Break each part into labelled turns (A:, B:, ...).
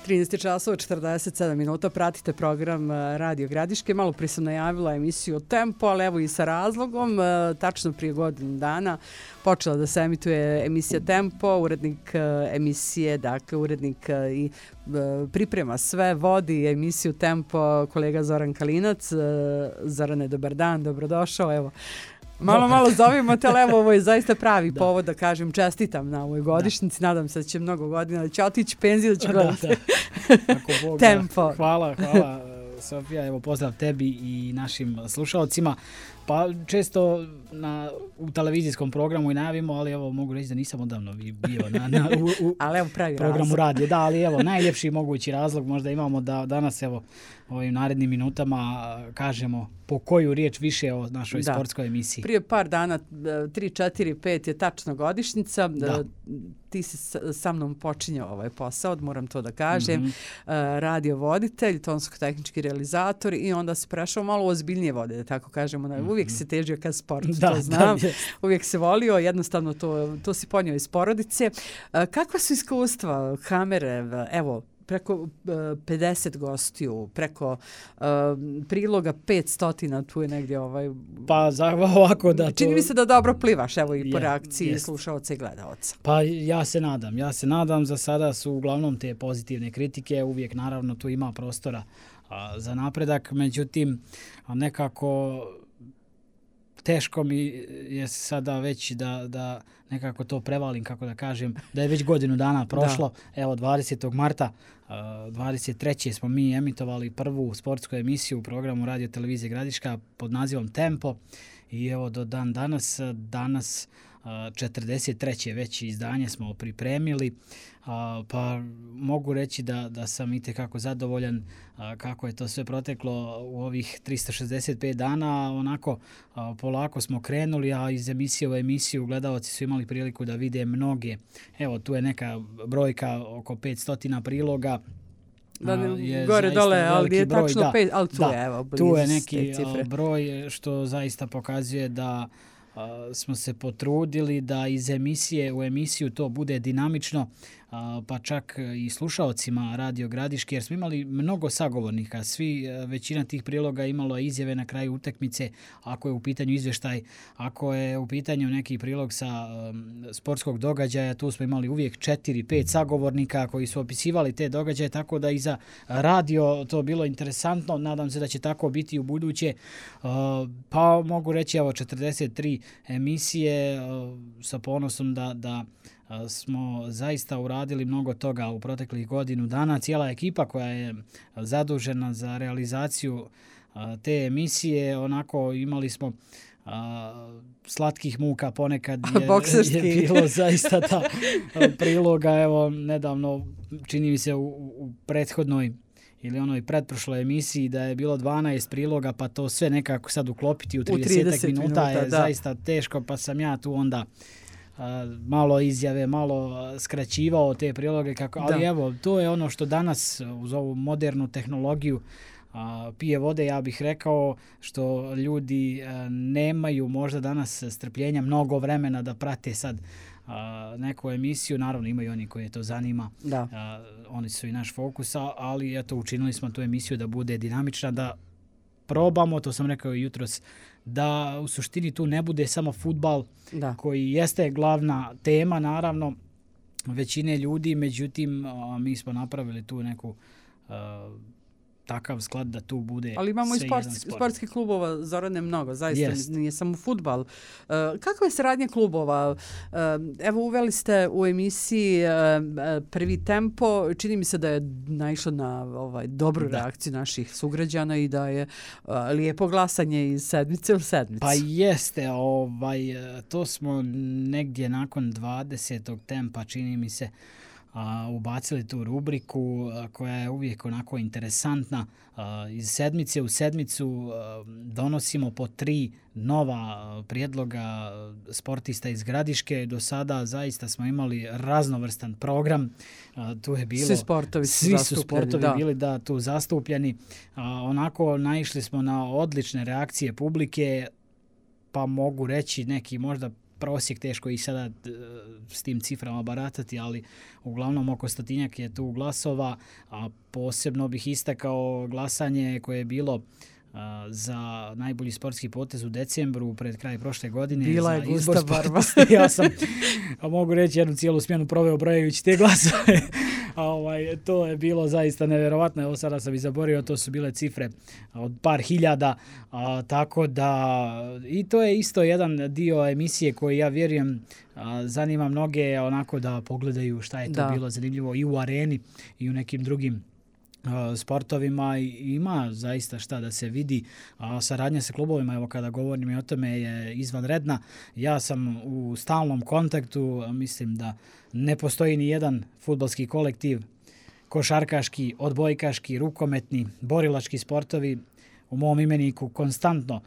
A: 13 časova 47 minuta, pratite program Radio Gradiške. Malo prije sam najavila emisiju Tempo, ali evo i sa razlogom. Tačno prije godinu dana počela da se emituje emisija Tempo, urednik emisije, dakle urednik i priprema sve, vodi emisiju Tempo kolega Zoran Kalinac. Zorane, dobar dan, dobrodošao, evo. Malo zovimo te, ali evo, ovo je zaista pravi povod da kažem čestitam na ovoj godišnjici. Nadam se da će mnogo godina, da će otići penziju, da će gledati Tempo.
B: Hvala, Sofija, evo pozdrav tebi i našim slušalcima. Pa često u televizijskom programu i najavimo, ali evo mogu reći da nisam odavno bio u
A: ali evo pravi
B: programu radije. Da, ali evo najljepši mogući razlog možda imamo da danas evo ovim narednim minutama kažemo po koju riječ više o našoj sportskoj emisiji.
A: Prije par dana, 3, 4, 5 je tačno godišnjica. Ti si sa mnom počinjao ovaj posao, moram to da kažem. Radio voditelj, tonsko-tehnički realizator i onda se prešao malo ozbiljnije vode, da tako kažemo. Uvijek se težio ka sportu, to znam. Uvijek se volio, jednostavno to si ponio iz porodice. Kakva su iskustva kamere, evo, preko 50 gostiju, preko priloga 500, tu je negdje
B: Pa ovako da to...
A: Čini mi se da dobro plivaš, evo i po reakciji slušaoca i gledalaca.
B: Pa ja se nadam, za sada su uglavnom te pozitivne kritike, uvijek naravno tu ima prostora za napredak, međutim nekako teško mi je sada već da nekako to prevalim, kako da kažem, da je već godinu dana prošlo. Evo 20. marta 23. smo mi emitovali prvu sportsku emisiju u programu Radio Televizije Gradiška pod nazivom Tempo i evo do danas 43. već izdanje smo pripremili, pa mogu reći da sam itekako zadovoljan kako je to sve proteklo u ovih 365 dana. Onako polako smo krenuli, a iz emisije u emisiju gledalci su imali priliku da vide mnoge. Evo tu je neka brojka oko 500 priloga.
A: Gore dole, ali je tačno 5, ali tu je, evo,
B: tu je neki broj što zaista pokazuje da smo se potrudili da iz emisije u emisiju to bude dinamično, pa čak i slušaocima Radio Gradiške, jer smo imali mnogo sagovornika. Većina tih priloga imalo izjave na kraju utakmice, ako je u pitanju izvještaj, ako je u pitanju neki prilog sa sportskog događaja, tu smo imali uvijek 4-5 sagovornika koji su opisivali te događaje, tako da i za radio to bilo interesantno. Nadam se da će tako biti u buduće. Pa mogu reći, evo 43 emisije, sa ponosom da smo zaista uradili mnogo toga u proteklih godinu dana. Cijela ekipa koja je zadužena za realizaciju te emisije, onako imali smo slatkih muka ponekad je bilo zaista ta priloga. Evo nedavno, čini mi se u prethodnoj ili onoj pretprošloj emisiji da je bilo 12 priloga, pa to sve nekako sad uklopiti u 30 minuta je zaista teško, pa sam ja tu onda malo izjave, malo skraćivao te priloge, ali evo, to je ono što danas uz ovu modernu tehnologiju pije vode, ja bih rekao, što ljudi nemaju možda danas strpljenja, mnogo vremena da prate sad neku emisiju. Naravno imaju oni koje to zanima, oni su i naš fokus, ali eto, učinili smo tu emisiju da bude dinamična, da probamo, to sam rekao i jutros, da u suštini tu ne bude samo fudbal koji jeste glavna tema, naravno, većine ljudi, međutim, mi smo napravili tu neku takav sklad da tu bude.
A: Ali imamo i sportskih klubova, Zorane, mnogo, zaista nije samo fudbal. Kakva je saradnja klubova? Evo, uveli ste u emisiji prvi Tempo, čini mi se da je naišlo na dobru reakciju naših sugrađana i da je lijepo glasanje iz sedmice u sedmicu.
B: Pa jeste, to smo negdje nakon 20. Tempa, čini mi se, ubacili tu rubriku koja je uvijek onako interesantna. Iz sedmice u sedmicu donosimo po 3 nova prijedloga sportista iz Gradiške. Do sada zaista smo imali raznovrstan program. Tu je bilo, svi su sportovi bili tu zastupljeni. Onako naišli smo na odlične reakcije publike, pa mogu reći neki možda prosjek, teško i sada s tim ciframa baratati, ali uglavnom oko 100-njak je tu glasova, a posebno bih istakao glasanje koje je bilo za najbolji sportski potez u decembru pred kraj prošle godine.
A: Bila je gusta barva.
B: Ja sam, mogu reći, jednu cijelu smjenu proveo brojajući te glasove. To je bilo zaista nevjerovatno. Evo sada sam i zaborio, to su bile cifre od par hiljada. Tako da, i to je isto jedan dio emisije koji ja vjerujem zanima mnoge onako da pogledaju šta je to bilo zanimljivo i u areni i u nekim drugim sportovima. Ima zaista šta da se vidi. Saradnja sa klubovima, evo kada govorim i o tome, je izvanredna. Ja sam u stalnom kontaktu, mislim da ne postoji ni jedan fudbalski kolektiv, košarkaški, odbojkaški, rukometni, borilački sportovi u mom imeniku konstantno.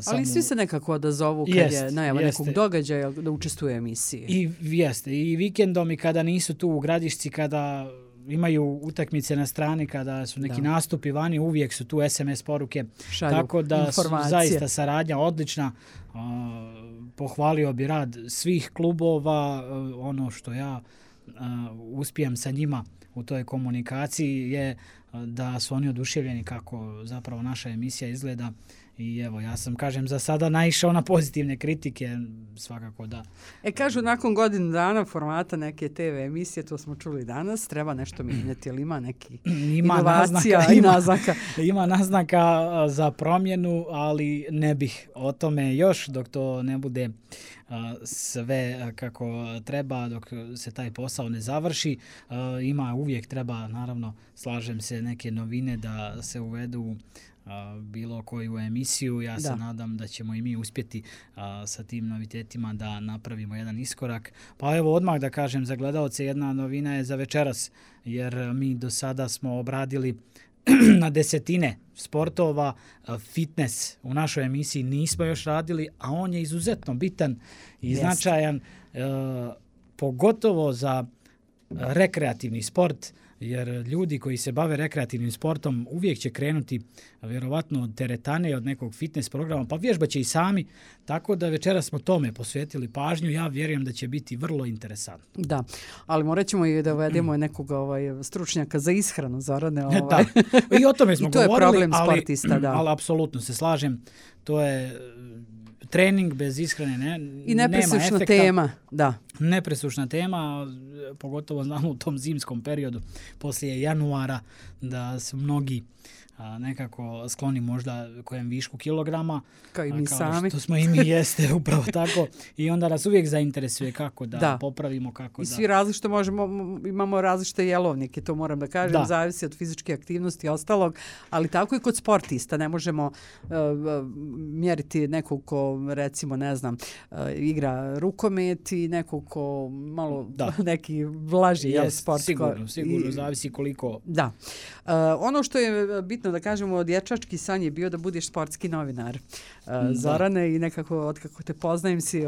A: Ali svi se nekako odazovu kad je najava nekog događaja da učestvuje u emisiji.
B: I jeste. I vikendom i kada nisu tu u Gradišci, kada imaju utakmice na strani, kada su neki nastupi vani, uvijek su tu SMS poruke.
A: Šalju
B: tako da
A: informacije.
B: Zaista saradnja odlična. Pohvalio bi rad svih klubova. Ono što ja uspijem sa njima u toj komunikaciji je da su oni oduševljeni kako zapravo naša emisija izgleda. I evo, ja sam, kažem, za sada naišao na pozitivne kritike, svakako da.
A: Kažu, nakon godinu dana formata neke TV emisije, to smo čuli danas, treba nešto mijenjati, ili ima neki inovacija i naznaka?
B: Ima naznaka za promjenu, ali ne bih o tome još, dok to ne bude sve kako treba, dok se taj posao ne završi. Uvijek treba, naravno, slažem se, neke novine da se uvedu bilo koju emisiju. Ja se nadam da ćemo i mi uspjeti sa tim novitetima da napravimo jedan iskorak. Pa evo, odmah da kažem za gledaoce, jedna novina je za večeras, jer mi do sada smo obradili na desetine sportova. Fitness u našoj emisiji nismo još radili, a on je izuzetno bitan i značajan, pogotovo za rekreativni sport, jer ljudi koji se bave rekreativnim sportom uvijek će krenuti vjerovatno od teretane, od nekog fitness programa, pa vježbaće i sami, tako da večeras smo tome posvetili pažnju. Ja vjerujem da će biti vrlo interesantno.
A: Da, ali morat ćemo i da uvedemo nekog stručnjaka za ishranu, Zorane.
B: Da, i o tome smo
A: I to
B: govorili,
A: je problem sportista,
B: ali apsolutno se slažem, to je trening bez ishrane
A: i nepresušna tema, da.
B: Nepresušna tema, pogotovo znamo u tom zimskom periodu poslije januara da su mnogi nekako skloni možda kojem višku kilograma.
A: Kao i mi sami.
B: Što smo i mi, jeste, upravo tako. I onda nas uvijek zainteresuje kako da popravimo, kako
A: I svi različite imamo različite jelovnike, to moram da kažem, zavisi od fizičke aktivnosti i ostalog, ali tako i kod sportista. Ne možemo mjeriti nekog ko, recimo, ne znam, igra rukomet i nekog ko malo neki vlaži sport.
B: Sigurno, zavisi koliko.
A: Da. Ono što je bitno da kažemo, dječački san je bio da budeš sportski novinar. Zorane, i nekako, otkako te poznajem si,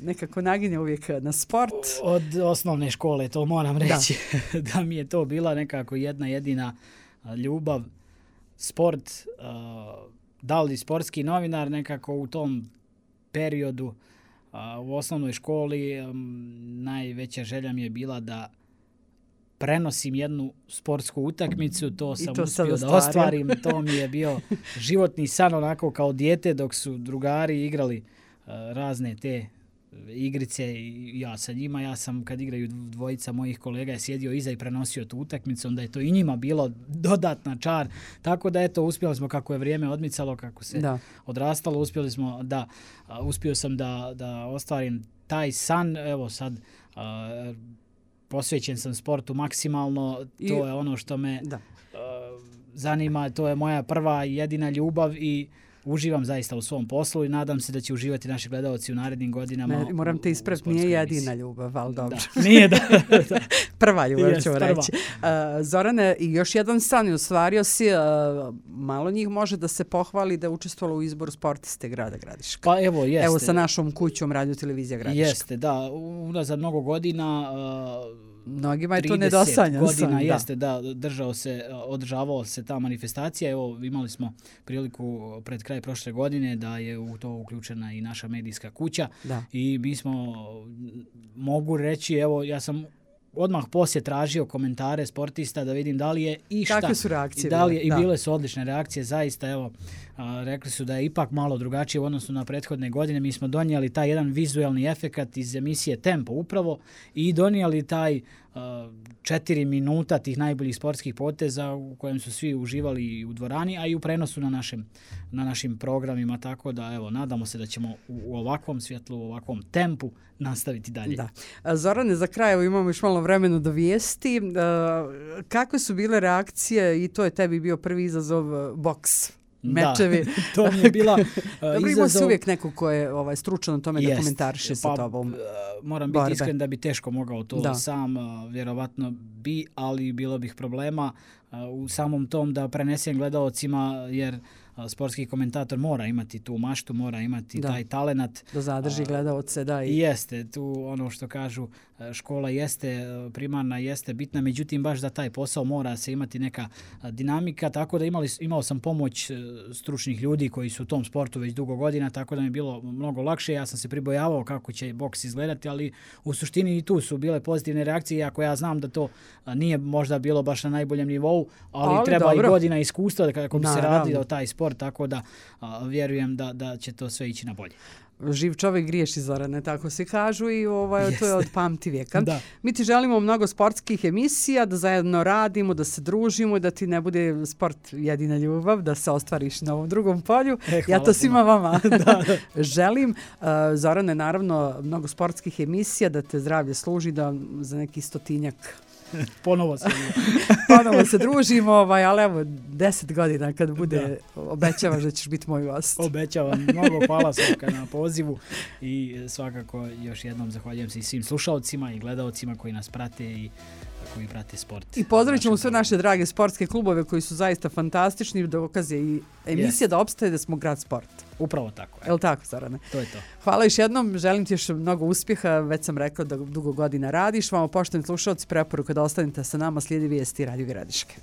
A: nekako naginje uvijek na sport.
B: Od osnovne škole, to moram reći, da mi je to bila nekako jedna jedina ljubav. Sport, da li sportski novinar, nekako u tom periodu u osnovnoj školi najveća želja mi je bila da prenosim jednu sportsku utakmicu, to sam uspio da ostvarim. To mi je bio životni san, onako kao dijete, dok su drugari igrali razne te igrice i ja sa njima. Ja sam, kad igraju dvojica mojih kolega, je sjedio iza i prenosio tu utakmicu, onda je to i njima bilo dodatna čar. Tako da, eto, uspjeli smo, kako je vrijeme odmicalo, kako se odrastalo, uspio sam da ostvarim taj san. Evo sad, posvećen sam sportu maksimalno, to je ono što me zanima, to je moja prva i jedina ljubav i uživam zaista u svom poslu i nadam se da će uživati naši gledaoci u narednim godinama.
A: Moram te ispraviti, nije jedina ljubav, ali dobro.
B: Nije, da.
A: Prva ljubav ću reći. Zorane, i još jedan san je ostvario si, malo njih može da se pohvali da je učestvovalo u izboru sportiste grada Gradiška.
B: Pa evo, jeste.
A: Evo sa našom kućom Radio Televizija Gradiška.
B: Jeste, da. Unazad mnogo godina
A: Mnogima je to nedosanjan
B: godina jeste, da, održavao se ta manifestacija. Evo, imali smo priliku pred kraj prošle godine da je u to uključena i naša medijska kuća. I mi smo, mogu reći, evo, ja sam odmah poslije tražio komentare sportista da vidim da li je išta.
A: Kakve su reakcije?
B: I bile su odlične reakcije, zaista, evo, rekli su da je ipak malo drugačije u odnosu na prethodne godine. Mi smo donijeli taj jedan vizualni efekat iz emisije Tempo upravo i donijeli taj 4 minuta tih najboljih sportskih poteza u kojem su svi uživali u dvorani, a i u prenosu na našim programima, tako da evo, nadamo se da ćemo u ovakvom svjetlu, u ovakvom tempu nastaviti dalje.
A: Da. Zorane, za kraj, evo, imamo još malo vremena do vijesti. Kakve su bile reakcije, i to je tebi bio prvi izazov, boks? Mečevi.
B: Da, to mi je bila izazov.
A: Ima se uvijek neko ko je stručan o tome da komentariše sa tobom.
B: Moram biti iskren da bi teško mogao to sam, vjerovatno bi, ali bilo bih problema u samom tom da prenesem gledaocima, jer sportski komentator mora imati tu maštu, mora imati taj talenat.
A: Da zadrži gledaoce, da.
B: I jeste, tu ono što kažu, škola jeste, primarna jeste bitna, međutim baš za taj posao mora se imati neka dinamika, tako da imao sam pomoć stručnih ljudi koji su u tom sportu već dugo godina, tako da mi je bilo mnogo lakše. Ja sam se pribojavao kako će boks izgledati, ali u suštini i tu su bile pozitivne reakcije, iako ja znam da to nije možda bilo baš na najboljem nivou, ali treba i godina iskustva kako bi se radio taj sport, tako da vjerujem da će to sve ići na bolje.
A: Živ čovjek griješi, Zorane, tako se kažu, i to je od pamti vijeka. Mi ti želimo mnogo sportskih emisija, da zajedno radimo, da se družimo i da ti ne bude sport jedina ljubav, da se ostvariš na ovom drugom polju. Ja to svima vama želim. Zorane, naravno, mnogo sportskih emisija, da te zdravlje služi, da za neki 100-tinjak
B: ponovo
A: se družimo, ali evo 10 godina kad bude, obećavaš da ćeš biti moj gost.
B: Obećavam, mnogo hvala Slavka na pozivu i svakako još jednom zahvaljujem se i svim slušalcima i gledaocima koji nas prate i koji prate sport.
A: I pozdravit ćemo sve naše drage sportske klubove koji su zaista fantastični, dokaze i emisija da opstaje da smo grad sport.
B: Upravo tako.
A: Je li tako, Zorane?
B: To je to.
A: Hvala još jednom, želim ti još mnogo uspjeha, već sam rekla da dugo godina radiš. Vamo, poštovani slušalci, preporuka da ostanete sa nama, slijedi vijesti Radio Gradiške.